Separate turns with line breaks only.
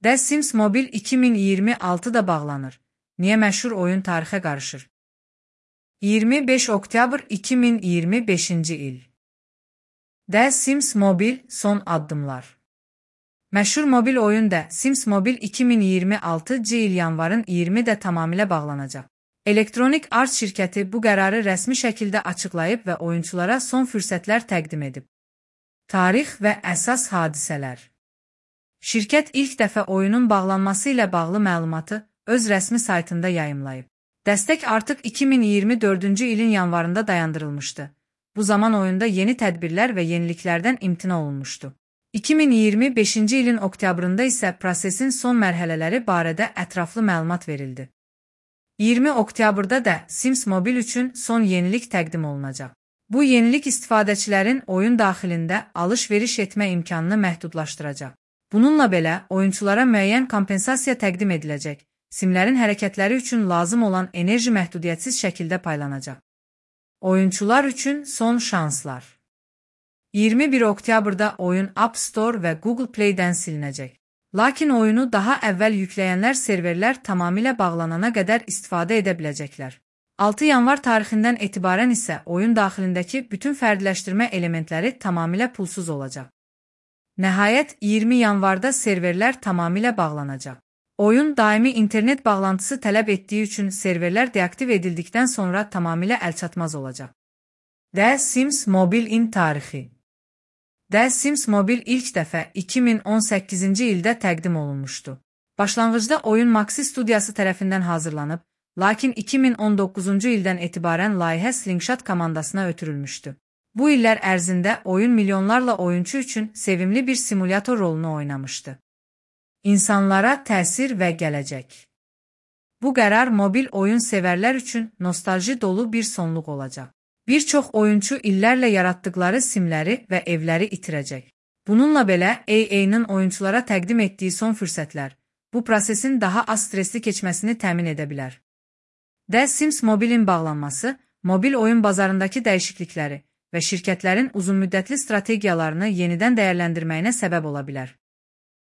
The Sims Mobile 2026'da bağlanır. Niye məşhur oyun tarixə qarışır? 25 oktyabr 2025-ci il. The Sims Mobile son addımlar. Məşhur mobil oyun The Sims Mobile 2026-cı il yanvarın 20-də tamamilə bağlanacaq. Electronic Arts şirkəti bu qərarı rəsmi şəkildə açıqlayıb və oyunçulara son fürsətlər təqdim edib. Tarix və əsas hadisələr. Şirkət ilk dəfə oyunun bağlanması ilə bağlı məlumatı öz rəsmi saytında yayımlayıb. Dəstək artıq 2024-cü ilin yanvarında dayandırılmışdı. Bu zaman oyunda yeni tədbirlər və yeniliklərdən imtina olunmuşdu. 2025-ci ilin oktyabrında isə prosesin son mərhələləri barədə ətraflı məlumat verildi. 20 oktyabrda da Sims Mobile üçün son yenilik təqdim olunacaq. Bu yenilik istifadəçilərin oyun daxilində alış-veriş etmə imkanını məhdudlaşdıracaq. Bununla belə, oyunçulara müəyyən kompensasiya təqdim ediləcək. Simlərin hərəkətləri üçün lazım olan enerji məhdudiyyətsiz şəkildə paylanacaq. Oyunçular üçün son şanslar. 21 oktyabrda oyun App Store və Google Play-dən silinəcək. Lakin oyunu daha əvvəl yükləyənlər serverlər tamamilə bağlanana qədər istifadə edə biləcəklər. 6 yanvar tarixindən etibarən isə oyun daxilindəki bütün fərdiləşdirmə elementləri tamamilə pulsuz olacaq. Nəhayət, 20 yanvarda serverlər tamamilə bağlanacaq. Oyun daimi internet bağlantısı tələb etdiyi üçün serverlər deaktiv edildikdən sonra tamamilə əlçatmaz olacaq. The Sims Mobile-in tarixi. The Sims Mobile ilk dəfə 2018-ci ildə təqdim olunmuşdu. Başlanğıcda oyun Maxi studiyası tərəfindən hazırlanıb, lakin 2019-cu ildən etibarən layihə Slingshot komandasına ötürülmüşdü. Bu illər ərzində oyun milyonlarla oyunçu üçün sevimli bir simulyator rolunu oynamışdı. İnsanlara təsir və gələcək. Bu qərar mobil oyun sevərlər üçün nostalji dolu bir sonluq olacaq. Bir çox oyunçu illərlə yaratdıkları simləri və evləri itirəcək. Bununla belə, EA-nin oyunçulara təqdim etdiyi son fürsətlər, bu prosesin daha az stresli keçməsini təmin edə bilər. The Sims Mobile-in bağlanması, mobil oyun bazarındakı dəyişiklikləri və şirkətlərin uzunmüddətli strategiyalarını yenidən dəyərləndirməyinə səbəb ola bilər.